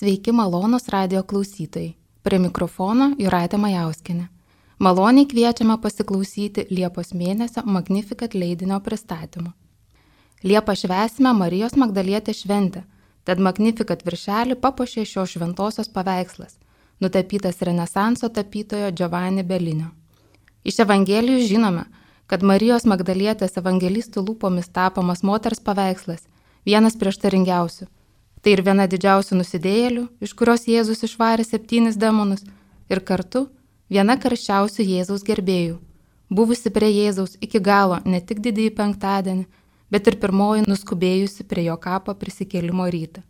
Sveiki malonūs radijo klausytojai. Prie mikrofono Jūratė Majauskienė. Maloniai kviečiame pasiklausyti Liepos mėnesio Magnificat leidinio pristatymo. Liepą švęsime Marijos Magdalietės šventę, tad Magnificat viršelį papuošė šios šventosios paveikslas, nutapytas Renesanso tapytojo Giovanni Bellinio. Iš Evangelijų žinome, kad Marijos Magdalietės evangelistų lūpomis tapomas moters paveikslas vienas prieštaringiausių. Tai ir viena didžiausių nusidėjėlių, iš kurios Jėzus išvarė 7 demonus, ir kartu viena karščiausių Jėzaus gerbėjų, buvusi prie Jėzaus iki galo ne tik didįjį penktadienį, bet ir pirmoji nuskubėjusi prie jo kapo prisikėlimo rytą.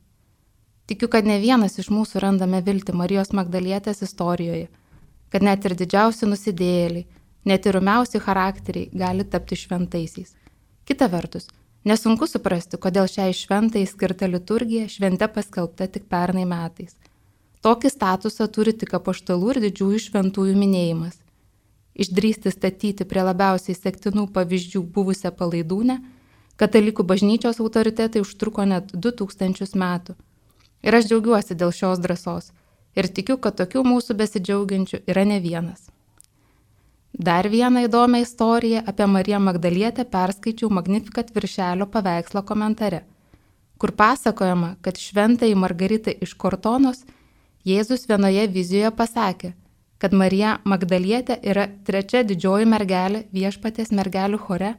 Tikiu, kad ne vienas iš mūsų randame viltį Marijos Magdalietės istorijoje, kad net ir didžiausi nusidėjėliai, net ir rumiausi charakteriai gali tapti šventaisiais. Kita vertus, nesunku suprasti, kodėl šiai šventai skirta liturgija švente paskelbta tik pernai metais. Tokį statusą turi tik apaštalų ir didžiųjų šventųjų minėjimas. Išdrįsti statyti prie labiausiai sektinų pavyzdžių buvusią palaidūnę, katalikų bažnyčios autoritetai užtruko net 2000 metų. Ir aš džiaugiuosi dėl šios drąsos ir tikiu, kad tokių mūsų besidžiaugiančių yra ne vienas. Dar vieną įdomią istoriją apie Mariją Magdalietę perskaičiau Magnificat viršelio paveikslo komentare, kur pasakojama, kad šventajai Margaritai iš Kortonos Jėzus vienoje vizijoje pasakė, kad Marija Magdalietė yra 3 didžioji mergelė viešpaties mergelių chore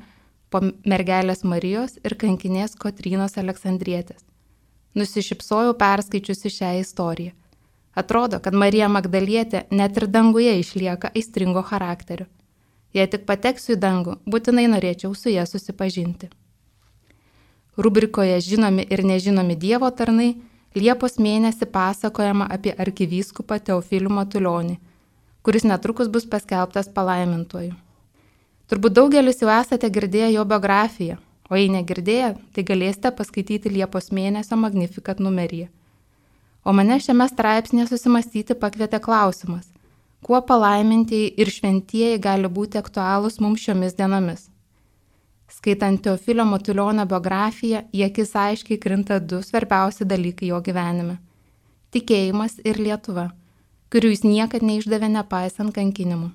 po mergelės Marijos ir kankinės Kotrynos Aleksandrietės. Nusišypsojau perskaičiusi šią istoriją. Atrodo, kad Marija Magdalietė net ir danguje išlieka aistringo charakterio. Jei tik pateksiu į dangų, būtinai norėčiau su ja susipažinti. Rubrikoje Žinomi ir nežinomi Dievo tarnai Liepos mėnesį pasakojama apie arkivyskupą Teofilių Matulionį, kuris netrukus bus paskelbtas palaimintuoju. Turbūt daugelis jau esate girdėję jo biografiją, o jei negirdėję, tai galėsite paskaityti Liepos mėnesio Magnificat numeryje. O mane šiame straipsnėje susimastyti pakvietė klausimas, kuo palaimintieji ir šventieji gali būti aktualūs mums šiomis dienomis. Skaitant Teofilio Matulionio biografiją, į akis aiškiai krinta 2 svarbiausi dalykai jo gyvenime – tikėjimas ir Lietuva, kurių jis niekad neišdavė nepaisant kankinimų.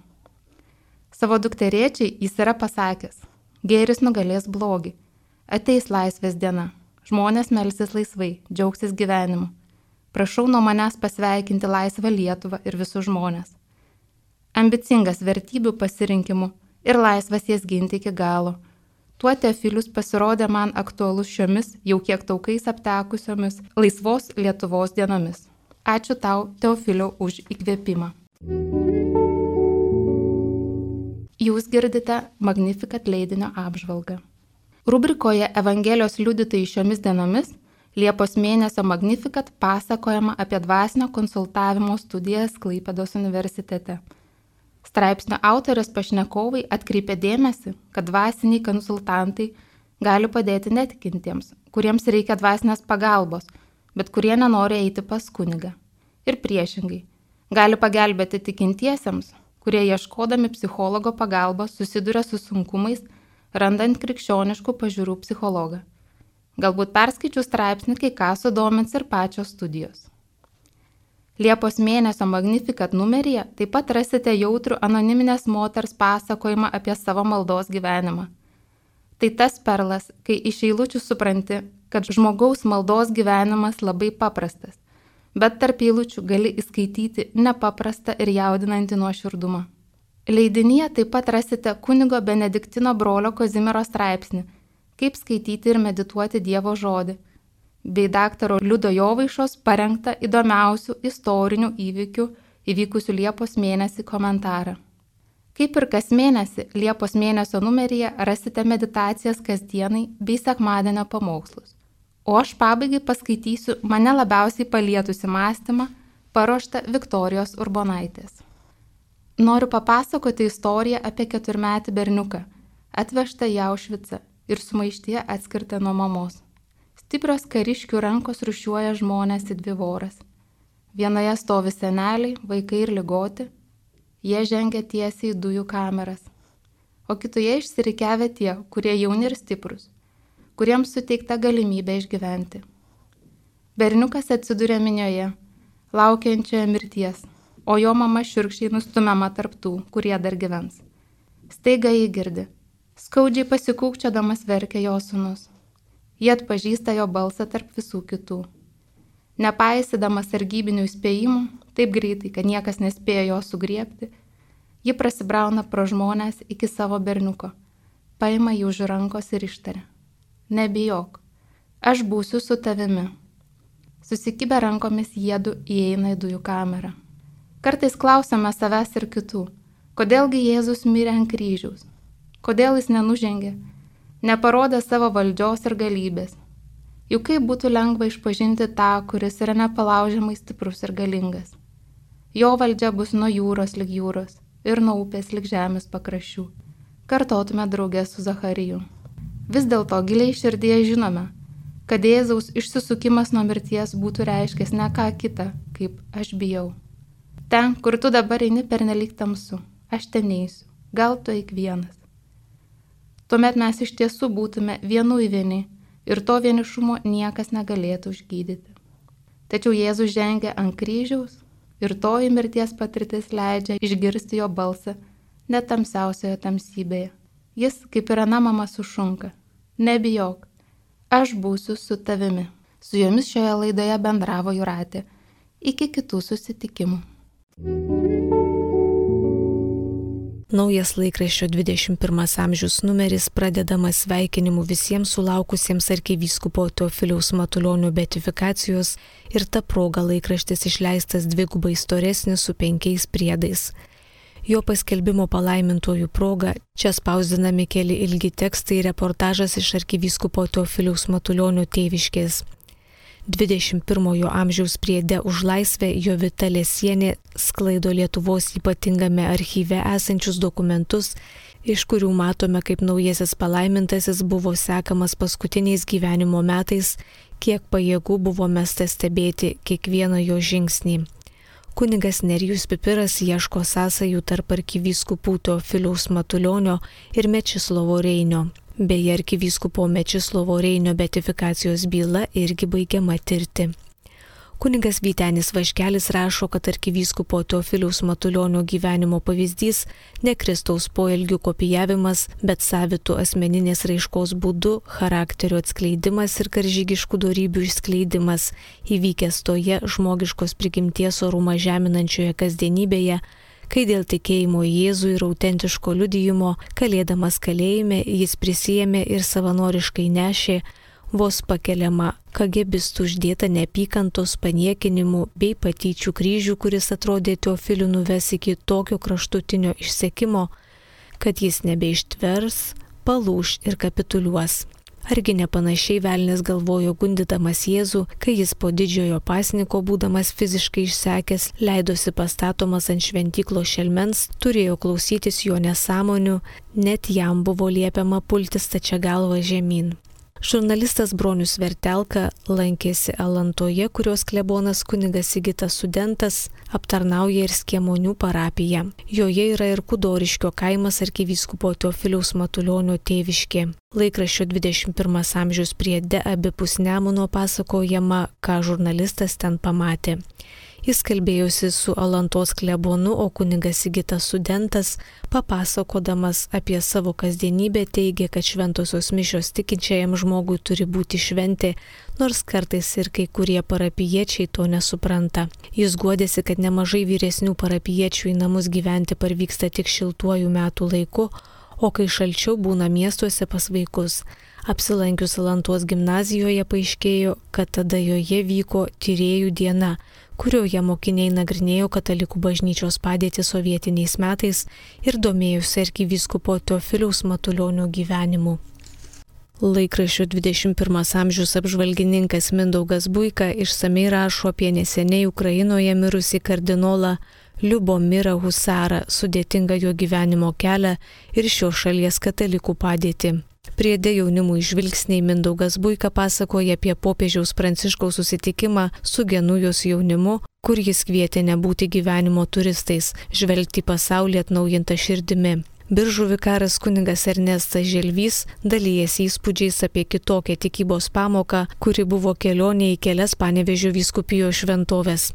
Savo dukterėčiai jis yra pasakęs, gėris nugalės blogį, ateis laisvės diena, žmonės melsis laisvai, džiaugsis gyvenimu. Prašau nuo manęs pasveikinti laisvą Lietuvą ir visus žmonės. Ambicingas vertybių pasirinkimų ir laisvas jas ginti iki galo. Tuo Teofilius pasirodė man aktualus šiomis jau kiek taukais aptekusiomis laisvos Lietuvos dienomis. Ačiū tau, Teofiliau, už įkvėpimą. Jūs girdite Magnificat leidinio apžvalgą. Rubrikoje Evangelijos liudytojai šiomis dienomis Liepos mėnesio Magnificat pasakojama apie dvasinio konsultavimo studijas Klaipėdos universitete. Straipsnio autorės pašnekovai atkreipė dėmesį, kad dvasiniai konsultantai gali padėti netikintiems, kuriems reikia dvasinės pagalbos, bet kurie nenori eiti pas kunigą. Ir priešingai, gali pagelbėti tikintiesiems, kurie ieškodami psichologo pagalbos susiduria su sunkumais, randant krikščioniškų pažiūrų psichologą. Galbūt perskaičių straipsnį, kai ką sudomins ir pačios studijos. Liepos mėnesio Magnificat numeryje taip pat rasite jautrų anoniminės moters pasakojimą apie savo maldos gyvenimą. Tai tas perlas, kai iš eilučių supranti, kad žmogaus maldos gyvenimas labai paprastas, bet tarp eilučių gali įskaityti nepaprastą ir jaudinantį nuoširdumą. Leidinyje taip pat rasite kunigo Benediktino brolio Kazimiero straipsnį, kaip skaityti ir medituoti Dievo žodį, bei daktaro Liudo Jovaišos parengtą įdomiausių istorinių įvykių įvykusių Liepos mėnesį komentarą. Kaip ir kas mėnesį, Liepos mėnesio numeryje rasite meditacijas kasdienai bei sekmadienio pamokslus. O aš pabaigai paskaitysiu mane labiausiai palietusi mąstymą, paruoštą Viktorijos Urbonaitės. Noriu papasakoti istoriją apie 4-metį berniuką, atvežtą į Aušvicą ir sumaištyje atskirtą nuo mamos. Stiprios kariškių rankos rūšiuoja žmonės į 2 voras. Vienoje stovi seneliai, vaikai ir ligoti, jie žengia tiesiai į dujų kameras. O kitoje išsirikiavę tie, kurie jauni ir stiprus, kuriems suteikta galimybė išgyventi. Berniukas atsiduria minioje, laukiančioje mirties, o jo mama šiurkščiai nustumiama tarp tų, kurie dar gyvens. Staiga jį girdi. Skaudžiai pasikūkčiodamas verkia jo sūnus. Jie atpažįsta jo balsą tarp visų kitų. Nepaisydamas sargybinių įspėjimų, taip greitai, kad niekas nespėjo jo sugriebti, ji prasibrauna pro žmonės iki savo berniuko, paima jį už rankos ir ištaria. Nebijok, aš būsiu su tavimi. Susikibę rankomis jiedu įeina į dujų kamerą. Kartais klausome savęs ir kitų, kodėlgi Jėzus mirė ant kryžiaus, kodėl jis nenužengė, neparodė savo valdžios ir galybės. Juk kaip būtų lengva išpažinti tą, kuris yra nepalaužiamai stiprus ir galingas. Jo valdžia bus nuo jūros lig jūros ir nuo upės lig žemės pakraščių. Kartotume draugę su Zachariju. Vis dėlto giliai širdyje žinome, kad Jėzaus išsisukimas nuo mirties būtų reiškęs ne ką kitą, kaip aš bijau. Ten, kur tu dabar eini pernelyg tamsu, aš ten eisiu, gal tu eik vienas. Tuomet mes iš tiesų būtume vienu į vieni ir to vienišumo niekas negalėtų užgydyti. Tačiau Jėzus žengia ant kryžiaus ir toji mirties patirtis leidžia išgirsti jo balsą net tamsiausioje tamsybėje. Jis, kaip ir ana mama, sušunka. Nebijok, aš būsiu su tavimi. Su jomis šioje laidoje bendravo Jūratė. Iki kitų susitikimų. Naujas laikraščio 21 amžius numeris pradedamas sveikinimu visiems sulaukusiems arkivyskupo Teofiliaus Matulionio beatifikacijos ir ta proga laikraštis išleistas dvigubai storesnis su 5 priedais. Jo paskelbimo palaimintojų proga čia spausdinami keli ilgi tekstai ir reportažas iš arkivyskupo Teofiliaus Matulionio tėviškės. 21 amžiaus priede už laisvę Jovita Lesienė sklaido Lietuvos ypatingame archyve esančius dokumentus, iš kurių matome, kaip naujasis palaimintasis buvo sekamas paskutiniais gyvenimo metais, kiek pajėgų buvo mesta stebėti kiekvieną jo žingsnį. Kunigas Nerijus Pipiras ieško sąsajų tarp arkivyskupų Teofiliaus Matulionio ir Mečislovo Reinio. Beje, arkivyskupo Mečislovo Reinio beatifikacijos byla irgi baigiama tirti. Kunigas Vytenis Vaškelis rašo, kad arkivyskupo Teofiliaus Matulionio gyvenimo pavyzdys ne Kristaus poelgių kopijavimas, bet savitų asmeninės raiškos būdu, charakterio atskleidimas ir karžygiškų dorybių išskleidimas, įvykęs toje žmogiškos prigimties orumą žeminančioje kasdienybėje, kai dėl tikėjimo į Jėzų ir autentiško liudijimo, kalėdamas kalėjime, jis prisijėmė ir savanoriškai nešė vos pakeliamą kagebistų uždėtą neapykantos, paniekinimų bei patyčių kryžių, kuris atrodė Teofilių nuves iki tokio kraštutinio išsekimo, kad jis nebeištvers, palūš ir kapituliuos. Argi nepanašiai velnias galvojo gundydamas Jėzų, kai jis po didžiojo pasniko, būdamas fiziškai išsekęs, leidosi pastatomas ant šventyklos šelmens, turėjo klausytis jo nesąmonių, net jam buvo liepiama pulti stačia galva žemyn. Žurnalistas Bronius Vertelka lankėsi Alantoje, kurios klebonas kunigas Sigitas Studentas aptarnauja ir Skiemonių parapiją. Joje yra ir Kudoriškio kaimas arkivyskupo Teofiliaus Matulionio tėviškė. Laikraščio 21 amžiaus priede abipus Nemuno pasakojama, ką žurnalistas ten pamatė. Jis kalbėjosi su Alantos klebonu, o kunigas Sigitas Studentas, papasakodamas apie savo kasdienybę, teigė, kad šventosios mišios tikinčiajam žmogui turi būti šventė, nors kartais ir kai kurie parapijiečiai to nesupranta. Jis guodėsi, kad nemažai vyresnių parapijiečių į namus gyventi parvyksta tik šiltuoju metų laiku, o kai šalčiau būna miestuose pas vaikus. Apsilankius Alantos gimnazijoje paaiškėjo, kad tada joje vyko tyrėjų diena, kurioje mokiniai nagrinėjo katalikų bažnyčios padėtį sovietiniais metais ir domėjosi arkivyskupo Teofiliaus Matulionio gyvenimu. Laikraščio 21 amžiaus apžvalgininkas Mindaugas Buika išsamei rašo apie neseniai Ukrainoje mirusį kardinolą Liubomirą Husarą, sudėtingą jo gyvenimo kelią ir šios šalies katalikų padėtį. Priede jaunimui žvilgsniai Mindaugas Buika pasakoja apie popiežiaus Pranciškaus susitikimą su Genujos jaunimu, kur jis kvietė nebūti gyvenimo turistais, žvelgti pasaulį atnaujintą širdimi. Biržų vikaras kunigas Ernestas Želvys dalyjasi įspūdžiais apie kitokią tikybos pamoką, kuri buvo kelionė į kelias Panevėžio vyskupijos šventoves.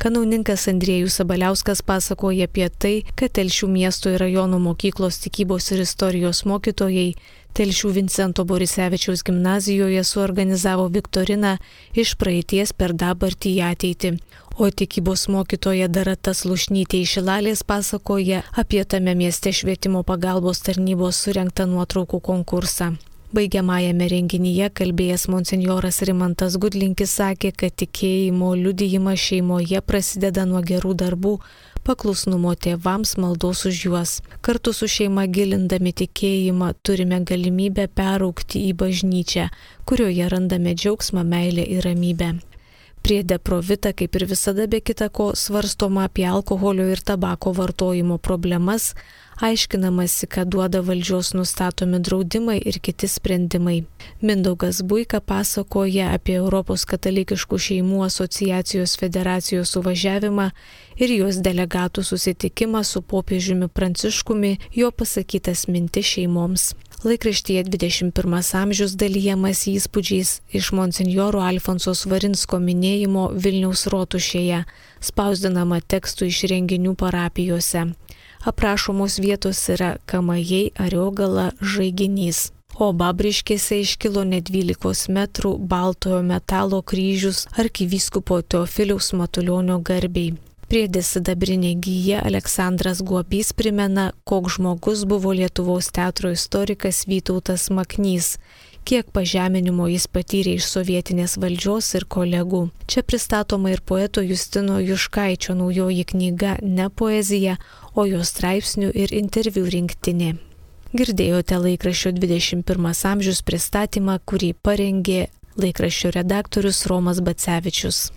Kanauninkas Andriejus Sabaliauskas pasakoja apie tai, kad Telšių miesto ir rajono mokyklos tikybos ir istorijos mokytojai Telšių Vincento Borisevičiaus gimnazijoje suorganizavo viktoriną iš praeities per dabartį į ateitį. O tikybos mokytoja Darata Slušnytė iš Šilalės pasakoja apie tame mieste švietimo pagalbos tarnybos surengtą nuotraukų konkursą. Baigiamajame renginyje kalbėjęs monsinjoras Rimantas Gudlinkis sakė, kad tikėjimo liudijimas šeimoje prasideda nuo gerų darbų, paklusnumo tėvams, maldos už juos. Kartu su šeima gilindami tikėjimą turime galimybę peraugti į bažnyčią, kurioje randame džiaugsmą, meilę ir ramybę. Priede Provita, kaip ir visada be kita ko, svarstoma apie alkoholio ir tabako vartojimo problemas, aiškinamasi, ką duoda valdžios nustatomi draudimai ir kiti sprendimai. Mindaugas Buika pasakoja apie Europos katalikiškų šeimų asociacijos federacijos suvažiavimą ir jos delegatų susitikimą su popiežiumi Pranciškumi, jo pasakytas mintis šeimoms. Laikraštyje 21 amžius dalyjamas įspūdžiais iš monsinjoro Alfonso Svarinsko minėjimo Vilniaus rotušėje, spausdinama tekstų iš renginių parapijose. Aprašomos vietos yra Kamajai, Ariogala, Žaiginys. O Babriškėse iškilo net 12 metrų baltojo metalo kryžius arkivyskupo Teofiliaus Matulionio garbei. Priede sidabrinė gyja Aleksandras Guobys primena, koks žmogus buvo Lietuvos teatro istorikas Vytautas Maknys, kiek pažeminimo jis patyrė iš sovietinės valdžios ir kolegų. Čia pristatoma ir poeto Justino Juškaičio naujoji knyga Ne poezija, o jo straipsnių ir interviu rinktinė. Girdėjote laikraščio 21 amžius pristatymą, kurį parengė laikraščio redaktorius Romas Bacevičius.